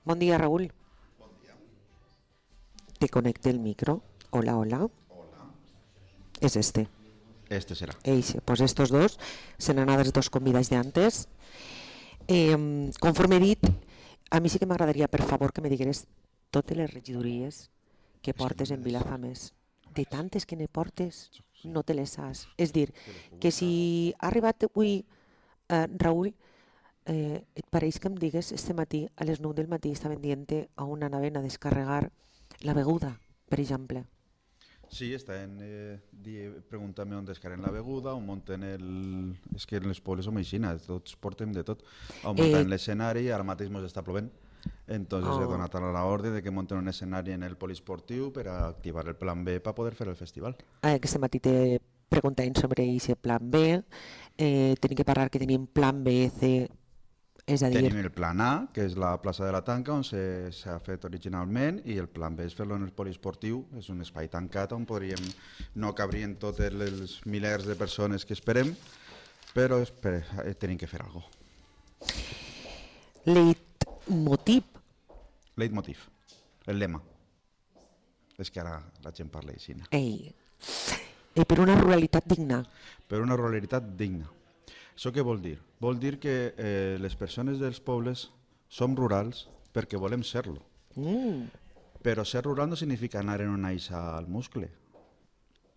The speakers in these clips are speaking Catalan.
Bon dia, Raúl. Te conecte el micro. Hola, hola. Es este. Este será. Pues estos dos serán els dos convidats d'antes. Conforme he dit, a mi sí que m'agradaria, per favor, que me digueres totes les regidories que portes en Vilafamés. De tantes que ne portes, no te les saps. És dir, que si ha arribat avui, Raúl, et pareix que em digues este matí, a les 9 del matí, estaven dient a una anaven a descarregar la beguda, per exemple. Sí, estaven preguntant-me on descarreguen la beguda, on munten el... És que en les pobles som aixina, tots portem de tot. On munten l'escenari, ara mateix ens està plovent. Entonces he donat a l'ordre de que munten un escenari en el poliesportiu per a activar el plan B per poder fer el festival. Aquest matí te preguntaven sobre aquest plan B, tenim que parlar que tenim plan B, C, és a dir... Tenim el plan A, que és la plaça de la Tanca, on s'ha fet originalment, i el plan B és fer-lo en el poliesportiu, és un espai tancat on podríem, no cabrien totes les milers de persones que esperem, però tenim que fer alguna cosa. Leitmotiv. Leitmotiv, el lema. És que ara la gent parla així. Per una ruralitat digna. Per una ruralitat digna. Això què vol dir? Vol dir que les persones dels pobles som rurals perquè volem ser-lo. Però ser rural no significa anar en una eixa al muscle.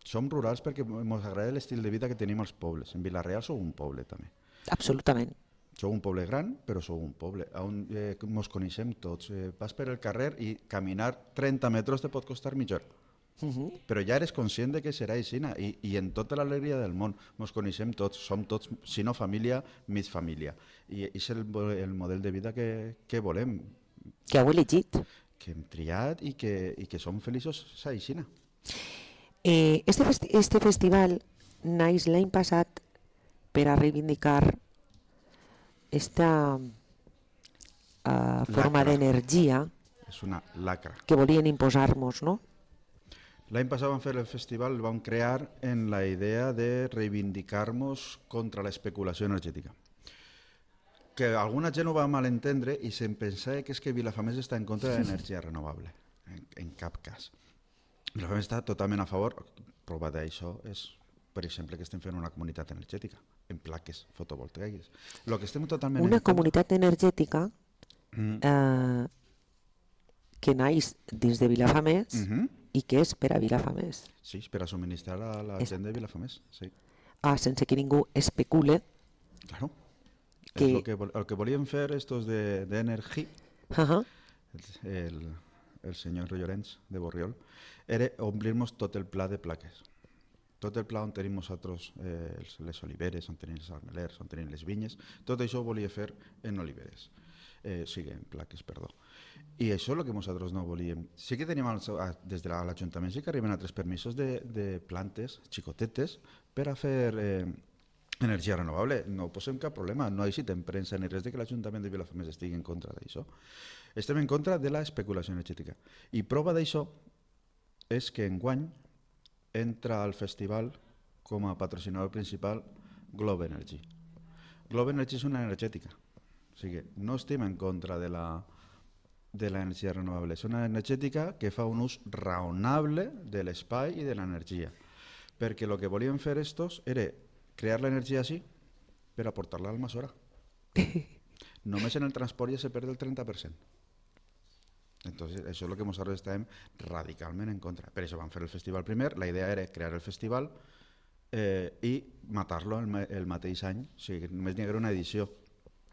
Som rurals perquè ens agrada l'estil de vida que tenim als pobles. En Vila-real sou un poble també. Absolutament. Sou un poble gran, però sou un poble. On ens coneixem tots. Vas per el carrer i caminar 30 metres te pot costar mitja hora. Però ja eres conscient de que serà així i en tota l'alegria del món ens coneixem tots, som tots, si no família, mig família, i és el model de vida que volem, que heu elegit, que hem triat i que som feliços així. Este festival naix l'any passat per a reivindicar esta forma d'energia és una lacra que volien imposar-nos, no? L'any passat vam fer el festival, el vam crear en la idea de reivindicar-nos contra l'especulació energètica. Que alguna gent ho va malentendre i se'n pensava que és que Vilafamés està en contra de l'energia renovable. En cap cas. Vilafamés està totalment a favor. Prova d'això és, per exemple, que estem fent una comunitat energètica en plaques fotovoltaiques. Una comunitat energètica que naix dins de Vilafamés i que és per a Vilafamés. Sí, per a subministrar a la gent de Vilafamés. Sí. Sense que ningú especule. Claro. El que volien fer estos d'Energy, el senyor Llorenç de Borriol, era omplir-nos tot el pla de plaques. Tot el pla on tenim nosaltres les oliveres, on tenim els armelers, on tenim les vinyes, tot això ho volia fer en oliveres. En plaques, perdó. I això és el que nosaltres no volíem. Sí que tenim des de l'Ajuntament sí que arriben altres permisos de plantes xicotetes per a fer energia renovable. No posem cap problema, no necessitem premsa ni res de que l'Ajuntament de Vilafamés estigui en contra d'això. Estem en contra de l'especulació energètica. I prova d'això és que enguany entra al festival com a patrocinador principal Globe Energy. Globe Energy és una energètica. O sigui, no estem en contra de l'energia renovable. És una energètica que fa un ús raonable de l'espai i de l'energia. Perquè el que volien fer estos era crear l'energia així per aportar-la al Almassora. Només en el transport ja se perd el 30%. Entonces, això és el que nosaltres estàvem radicalment en contra. Per això vam fer el festival primer. La idea era crear el festival i matar-lo el mateix any. O sigui, només n'hi haguera una edició.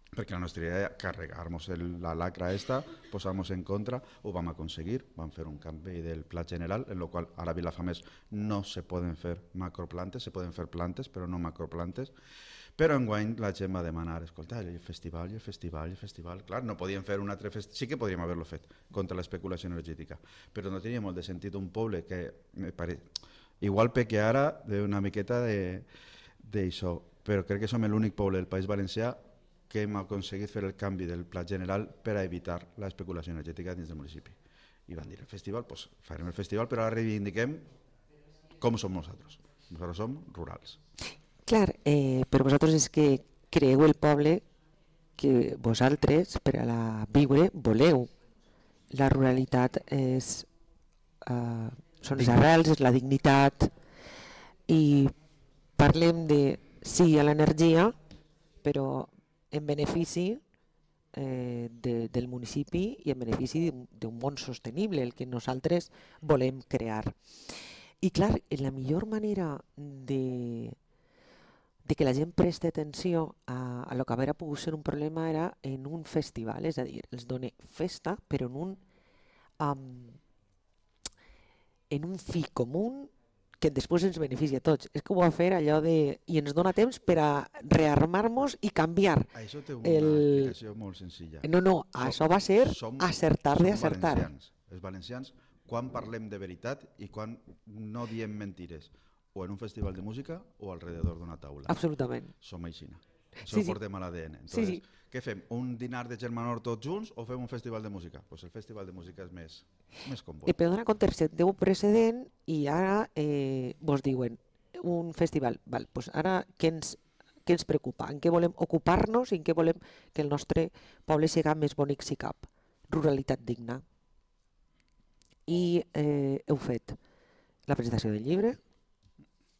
Perquè la nostra idea era carregar-nos la lacra esta, posar-nos en contra, ho vam aconseguir, vam fer un canvi del pla general, en el qual ara a Vilafamés no se poden fer macroplantes, se poden fer plantes, però no macroplantes, però enguany la gent va demanar, escolta, el festival. Clar, no podíem fer un altre festival, sí que podríem haver-lo fet contra l'especulació energètica, però no tenia molt de sentit un poble que, igual peque ara d'una miqueta d'això, però crec que som l'únic poble del País Valencià que hem aconseguit fer el canvi del pla general per a evitar l'especulació energètica dins del municipi. I van dir, el festival, doncs farem el festival, però ara reivindiquem com som nosaltres. Nosaltres som rurals. Clar, però vosaltres és que creeu el poble que vosaltres, per a la viure, voleu la ruralitat són les arrels, és la dignitat, i parlem de sí a l'energia, però en benefici del municipi i en benefici d'un món sostenible, el que nosaltres volem crear. I clar, la millor manera de que la gent presti atenció a lo que haver pogut ser un problema era en un festival, és a dir, els dona festa, però en un fi comú que després ens beneficia a tots. És que ho va fer allò de... I ens dona temps per a rearmar-nos i canviar. Això té una explicació molt senzilla. No, això va ser acertar d'acertar. Els valencians, quan parlem de veritat i quan no diem mentires, o en un festival de música o alrededor d'una taula. Absolutament. Som aixina. Això ho portem a l'ADN. Entonces, què fem? Un dinar de germanor tots junts o fem un festival de música? Pues el festival de música és més còmode. Però dona compte, té un precedent i ara vos diuen un festival. Val, pues ara què ens preocupa? En què volem ocupar-nos i en què volem que el nostre poble siga més bonic si cap? Ruralitat digna. I heu fet la presentació del llibre.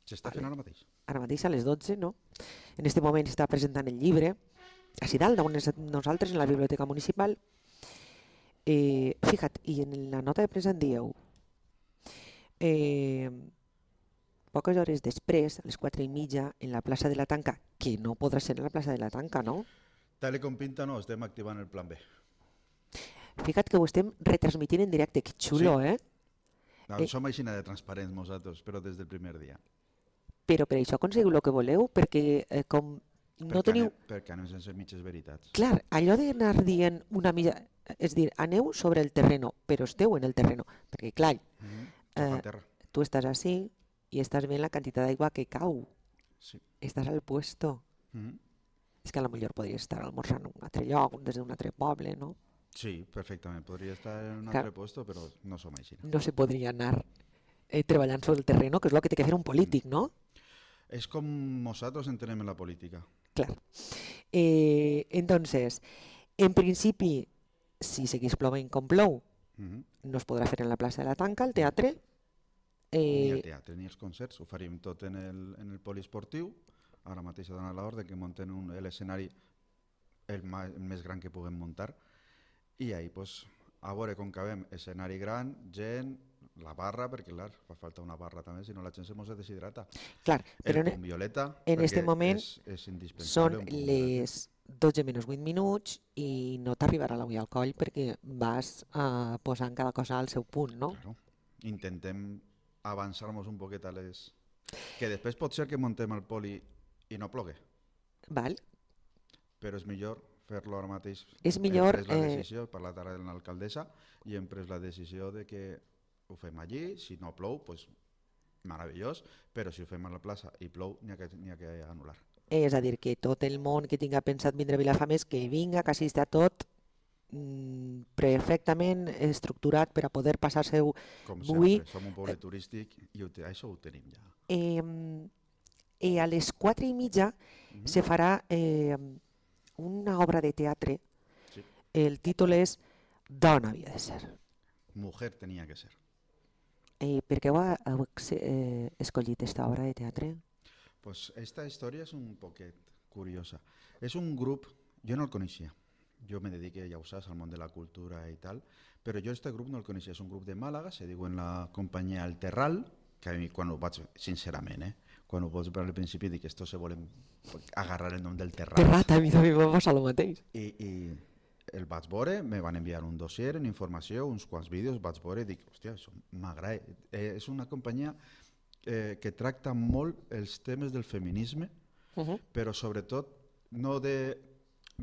S'està fent ara mateix. Ara mateix a les 12, no? En aquest moment està presentant el llibre a Dalt, nosaltres, en la Biblioteca Municipal. Fija't, i en la nota de premsa en dieu, poques hores després, a les 4:30, en la plaça de la Tanca, que no podrà ser en la plaça de la Tanca, no? Tal com pinta, no, estem activant el plan B. Fija't que ho estem retransmitint en directe, que xulo, sí. No, som aixina de transparents nosaltres, però des del primer dia. Però per això aconseguiu el que voleu, perquè com no teniu... Perquè anem sense mitges veritats. Clar, allò d'anar dient una mitja... És dir, aneu sobre el terreno, però esteu en el terreno. Perquè, clar, tu estàs així i estàs veient la quantitat d'aigua que cau. Sí. Estàs al puesto. És que a lo millor podries estar almorzant en un altre lloc, des d'un altre poble, no? Sí, perfectament. Podria estar en un altre puesto, però no som així. No se podria anar treballant sobre el terreno, que és el que té que fer un polític, no? És com nosaltres entenem la política. Clar. Entonces, en principi, si seguís plovent com plou, no es podrà fer en la plaça de la Tanca, al teatre. Ni el teatre ni els concerts, ho faríem tot en el poliesportiu. Ara mateix ha donat l'ordre que munten l'escenari el més gran que puguem muntar. I ahí, pues, a veure com acabem, escenari gran, gent, la barra, perquè clar, fa falta una barra també, si no la gent se mos deshidrata. Clar, però el punt violeta, en aquest moment és indispensable. Són les 12 menys 8 minuts i no t'arribarà l'ull al coll perquè vas posant cada cosa al seu punt, no? Claro. Intentem avançar-nos un poquet a les... Que després pot ser que muntem el poli i no plogue. Val. Però és millor fer-lo ara mateix. És millor... Hem pres la decisió, he parlat ara amb l'alcaldessa, i hem pres la decisió de que ho fem allí, si no plou, doncs meravellós, però si ho fem a la plaça i plou, n'hi ha que anul·lar. És a dir, que tot el món que tinga pensat vindre a Vilafamés, que vinga, que així està tot perfectament estructurat per a poder passar-se-ho. Com sempre, som un poble turístic i això ho tenim ja. I a les 4:30 se farà una obra de teatre. Sí. El títol és Dona havia de ser. Mujer tenia que ser. Per què heu escollit aquesta obra de teatre? Pues esta història és un poquet curiosa. És un grup, jo no el coneixia, jo me dedico, ja ho saps, al món de la cultura i tal, però jo este grup no el coneixia, és un grup de Màlaga, se diuen la companyia El Terral, que a mi quan ho vaig, sincerament, quan ho vaig veure al principi dic que esto se volen agarrar el nom del Terrat. Terrat, a mi també va passar el mateix. I el vaig veure, me van enviar un dossier en informació, uns quants vídeos, vaig veure i dic, hòstia, això m'agrada. És una companyia que tracta molt els temes del feminisme, però sobretot no de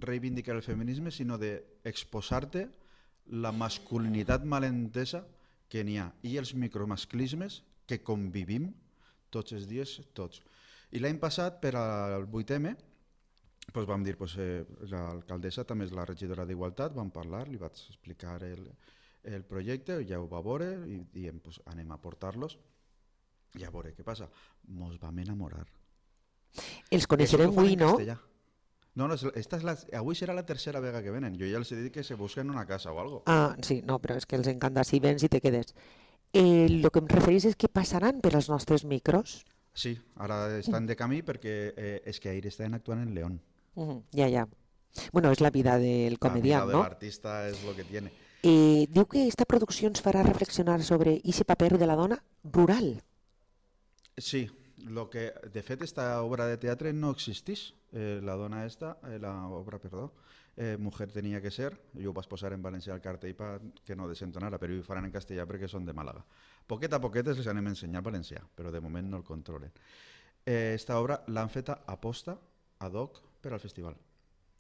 reivindicar el feminisme, sinó d'exposar-te la masculinitat malentesa que n'hi ha i els micromasclismes que convivim tots els dies, tots. I l'any passat, per al 8M, vam dir, l'alcaldessa també és la regidora d'Igualtat, vam parlar, li vaig explicar el projecte, ja ho va veure i diem, anem a portar-los i a veure què passa. Mos vam enamorar. Els coneixerem avui, no? No, no, avui serà la tercera vegada que venen. Jo ja els he dit que se busquen una casa o algo. Ah, sí, no, però és que els encanta si vens i te quedes. El que em referís és que passaran per als nostres micros. Sí, ara estan de camí perquè és que ahir estan actuant en León. Ja, ja. Bueno, és la vida del comediant, La vida de no? l'artista és lo que tiene. Diu que esta producció ens farà reflexionar sobre ese paper de la dona rural. Sí, lo que de fet esta obra de teatre no existís. La dona esta, la obra, perdó, Mujer tenia que ser, jo ho vaig posar en valencià al cartell que no desentonara, però ho faran en castellà perquè són de Màlaga. Poquet a poquet els anem a ensenyar valencià, però de moment no el controlen. Esta obra l'han feta a posta, ad hoc, per al festival.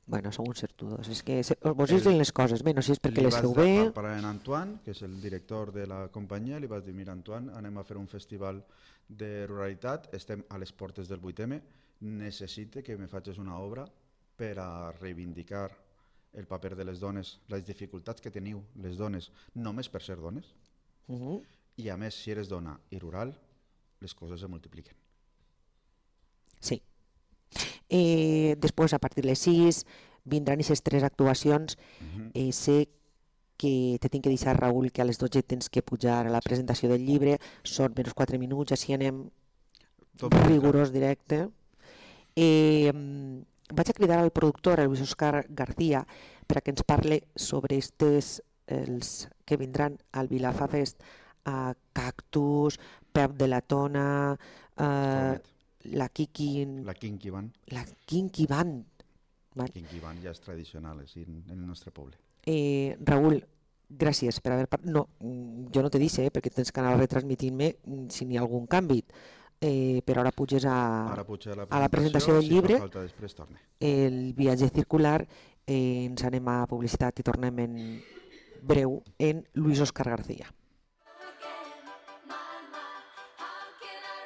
Bueno, som uns certudos. És que vos diuen les coses, bé, no sé si és perquè les feu bé. Per a en Antoine, que és el director de la companyia, li vaig dir, mira Antoine, anem a fer un festival de ruralitat, estem a les portes del 8M, necessite que me facis una obra per a reivindicar el paper de les dones, les dificultats que teniu les dones, només per ser dones, i a més, si eres dona i rural, les coses se multipliquen. Sí. Després, a partir de les 6, vindran aquestes 3 actuacions. Sé que te tinc que deixar, Raül, que a les 12 tens que pujar a la presentació del llibre, són menys 4 minuts, així anem rigorós directe. Vaig a cridar al productor, el Luis Oscar García, per a que ens parle sobre els que vindran al Vilafa Fest, Cactus, Pep de la Tona, la Kinky Band. La Kinky Band ja és tradicional en el nostre poble. Raül, gràcies per haver parlat. No, jo no te dice, perquè tens que anar retransmitint-me si n'hi ha algun canvi. Però ara puges a la presentació del llibre, el viatge circular, ens anem a publicitat i tornem en breu en Luis Oscar García.